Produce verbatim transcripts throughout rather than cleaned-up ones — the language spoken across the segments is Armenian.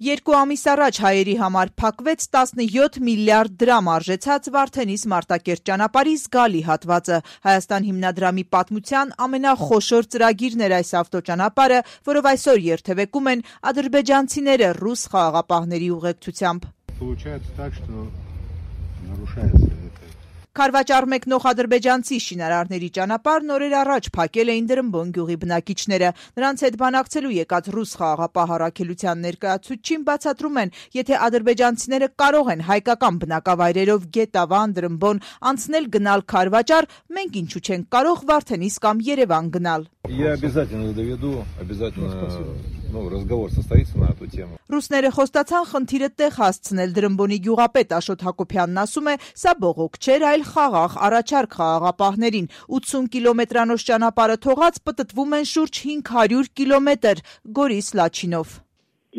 Երկու ամիս առաջ հայերի համար փակվեց տասնյոթ միլիարդ դրամ արժեցած Վարդենիս Մարտակերտ ճանապարհի զգալի հատվածը։ Հայաստան հիմնադրամի պատմության ամենախոշոր ծրագիրն էր այս ավտոճանապարհը, որով այսօր երթևեկում են ադրբեջանցիները ռուս խաղաղապահների ուղեկցությամբ։ Քարվաճառ մեկնող ադրբեջանցի շինարարների ճանապարհն օրեր առաջ փակել էին Դրմբոն գյուղի բնակիչները։ Նրանց հետ բանակցելու եկած ռուս խաղաղապահ առաքելության ներկայացուցչին բացատրում են, եթե ադրբեջանցիները կարող են հայկական բնակավայրերով Գետավան, Դրմբոն անցնել գնալ Քարվաճառ, մենք ինչու չենք կարող Վարդենիս կամ Երևան գնալ։ Я обязательно доведу, обязательно, ну, разговор состоится на эту тему. Ռուսները խոստացան խնդիրը տեղ հասցնել։ Դրմբոնի գյուղապետ Աշոտ Հակոբյանն ասում է, սա բողոք չէր, այլ խաղաղ առաջարկ խաղաղապահներին։ ութսուն կիլոմետրանոց ճանապարհը թողած պտտվում են շուրջ հինգ հարյուր կիլոմետր Գորիս Լաչինով։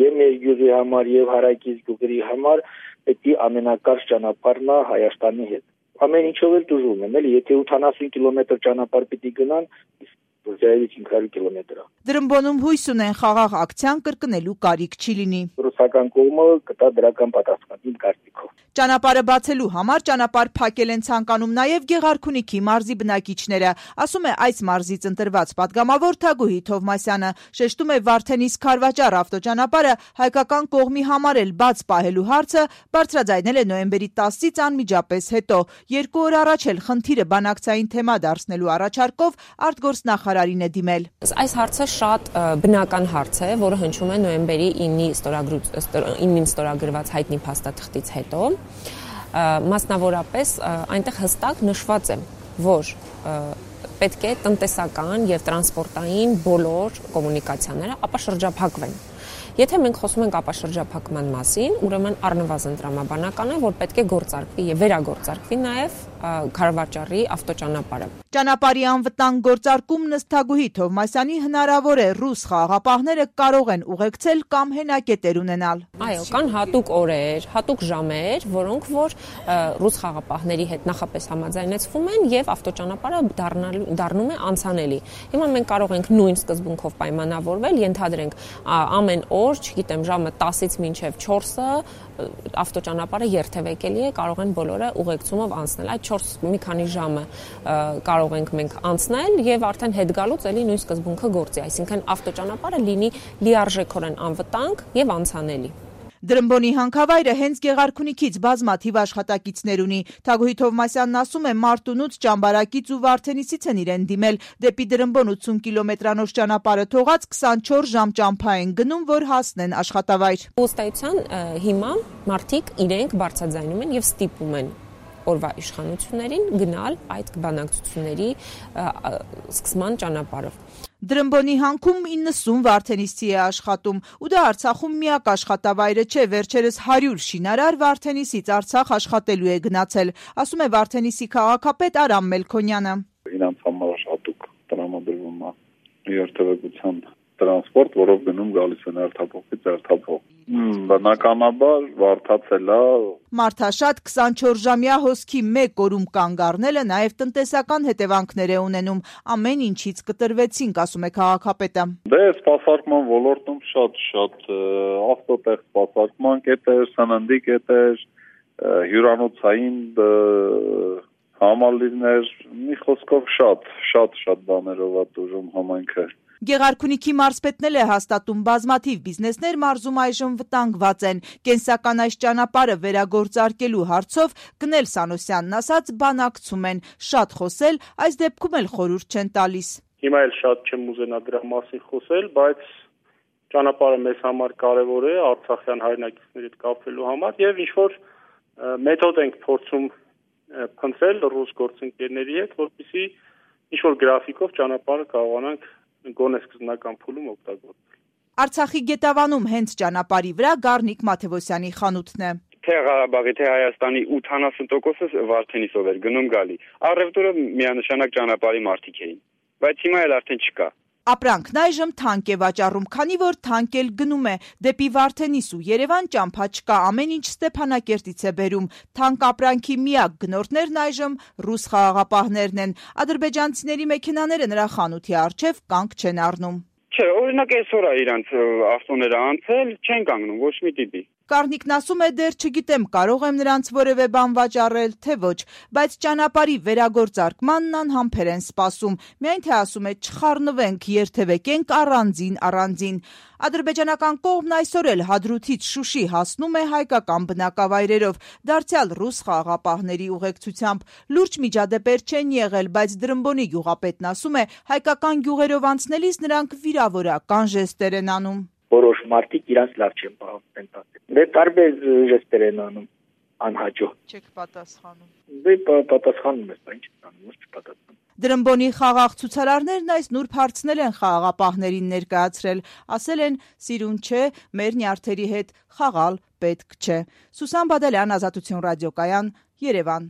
Եվ մեր գյուղի համար եւ հարակից գյուղերի համար պետք է ամենակարճ ճանապարհն է Հայաստանի հետ։ Ամեն ինչով էլ դժում են, էլի, եթե ութանասուն կիլոմետր ճանապարհ պիտի գնան, հինգ հարյուր կիլոմետր։ Դրմբոնում հույս ունեն խաղաղ ակցիան կրկնելու կարիք չի լինի։ Ռուսական կողմը կտա դրական պատասխան, իմ կարծիքով։ Ճանապարհը բացելու համար ճանապարհ փակել են ցանկանում նաև Գեղարքունիքի մարզի բնակիչները, ասում է այս մարզից ընտրված падգամավոր Թագուհի Թովմասյանը, շեշտում է Վարդենիս Քարվաճառ ավտոճանապարհը հայկական կողմի համար էլ բաց պահելու հարցը բարձրաձայնել է նոյեմբերի տասից անմիջապես հետո։ Երկու օր առաջ էլ խնդիրը բանակցային թեմա դարձնելու առաջարկով արտգործնախարարին է դիմել։ Այս հարցը շատ բնական հարց է, որը հնչում է նոյեմբերի ինին ստորագրված հայտնի փաստաթղթից հետո։ Մասնավորապես այնտեղ հստակ նշված է, որ պետք է տնտեսական եւ տրանսպորտային բոլոր կոմունիկացիաները ապաշրջափակվեն։ Եթե մենք խոսում ենք ապաշրջափակման մասին, ուրեմն առնվազն տրամաբանական է, որ պետք է գործարկվի եւ վերագործարկվի նաեւ Քարվաճառի ավտոճանապարհը։ Ճանապարհի անվտանգ գործարկումն ըստ Թագուհի Թովմասյանի հնարավոր է ռուս խաղաղապահները կարող են ուղեկցել կամ հենակետեր ունենալ։ Այո, կան հատուկ օրեր, հատուկ ժամեր, որոնք որ ռուս խաղաղապահների հետ նախապես համաձայնեցվում են եւ ավտոճանապարհը դառնում է անցանելի։ Հիմա մենք կարող ենք նույն սկզբունքով պայմանավորվել, ենթադրենք ամեն օր, չգիտեմ, ժամը տասից մինչև չորսը ավտոճանապարհը երթևեկելի է, կարող են բոլորը ուղեկցումով անցնել։ Այդ չորս մի քանի ժամը կարող ենք մենք անցնել եւ արդեն հետ գալուց էլի նույն սկզբունքը գործի, այսինքն ավտոճանապարհը լինի լիարժեքորեն անվտանգ եւ անցանելի։ Դրմբոնի հանքավայրը հենց Գեղարքունիքից բազմաթիվ աշխատակիցներ ունի։ Թագուհի Թովմասյանն ասում է, Մարտունուց, Ճամբարակից ու Վարդենիսից են իրեն դիմել։ Դեպի Դրմբոն ութսուն կիլոմետրանոց ճանապարհը թողած քսանչորս ժամ ճամփա են գնում, որ հասնեն աշխատավայր։ Ըստայության հիմա մարդիկ իրենք բարձրաձայնում են եւ ստիպում են օրվա իշխանություններին գնալ այդ բանակցությունների սկսման ճանապարհով։ Դրմբոնի հանքում իննսուն Վարդենիսցի է աշխատում, ու դա Արցախում միակ աշխատավայրը չէ, վերջերս հարյուր շինարար Վարդենիսից Արցախ աշխատելու է գնացել, ասում է Վարդենիսի քաղաքապետ Արամ Մելքոնյանը։ Իրանց համար հատուկ տրամադրվում է երթևեկության տրանսպորտ, որով գնում գալիս են երթափոխից երթափոխ։ Բնականաբար վարդացել է։ Մարդաշատ քսանչորս ժամյա հոսքի մեկ օրում կանգ առնելը նաև տնտեսական հետևանքներ է ունենում։ Ամեն ինչից կտրվեցինք, ասում է քաղաքապետը։ Դե սպասարկման ոլորտում շատ-շատ ավտոտեղ սպասարկման կետեր, սննդի կետեր, հյուրանոցային համալիրներ, մի խոսքով շատ, շատ-շատ բաներով է տուժում համայնքը։ Գեղարքունիքի մարզպետն էլ է հաստատում, բազմաթիվ բիզնեսներ մարզում այժմ վտանգված են։ Կենսական այս ճանապարհը վերագործարկելու հարցով Գնել Սանոսյանն ասաց, բանակցում են, շատ խոսել, այս դեպքում էլ խորհուրդ չեն տալիս։ Հիմա էլ շատ չեմ ուզենա դրա մասին խոսել, բայց ճանապարհը մեզ համար կարևոր է արցախյան հայրենակիցների հետ կապվելու համար եւ ինչ որ մեթոդ ենք փորձում փնտրել ռուս գործընկերների հետ, որպեսզի ինչ որ գրաֆիկով ճանապարհը կարողանանք գոնե սկզբնական փուլում օգտագործել։ Արցախի Գետավանում հենց ճանապարհի վրա Գառնիկ Մաթևոսյանի խանութն է։ Թե Ղարաբաղի, թե Հայաստանի ութանասուն տոկոսը Վարդենիսով էր գնում գալի։ Առևտուրը միանշանակ ճանապարհի մարդիկ էին, բայց հիմա էլ արդեն չկա։ Ապրանքն այժմ թանկ է վաճառում, քանի որ թանկ էլ գնում է։ Դեպի Վարդենիս ու Երևան ճամփա չկա, ամեն ինչ Ստեփանակերտից է բերում։ Թանկ ապրանքի միակ գնորդներն այժմ ռուս խաղաղապահներն են։ Ադրբեջանցիների մեքենաները նրա խանութի առջև կանգ չեն առնում։ Չէ, օրինակ այսօր է իրանց ավտոները անցել, չեն կանգնում ոչ մի տիպի։ Կարնիկն ասում է դեռ չգիտեմ կարող եմ նրանց որևէ բան վաճառել, թե ոչ, բայց ճանապարհի վերագործարկմանն անհամբեր են սպասում, միայն թե ասում է չխառնվենք, երթևեկենք առանձին առանձին։ Ադրբեջանական կողմն այսօր էլ Հադրութից Շուշի հասնում է հայկական բնակավայրերով, դարձյալ ռուս խաղաղապահների ուղեկցությամբ։ Լուրջ միջադեպեր չեն եղել, բայց Դրմբոնի գյուղապետն ասում է հայկական գյուղերով անցնելիս նրանք վիրավորական ժեստեր են անում։ Որոշ մարդիկ իրանց լավ չեն պահպանում տասը։ Դե տարբեր ժեստեր են անում անհաջող։ Չեք պատասխանում։ Դե պատասխանում ես, ինչ անում, ոչ չպատասխանում։ Դրմբոնի խաղաղ ցուցարարներն այս նուրբ հարցնել են խաղաղապահներին ներկայացրել, ասել են՝ սիրուն չէ, մեր նյարդերի հետ խաղալ պետք չէ։ Սուսան Բադալյան, Ազատություն ռադիոկայան, Երևան։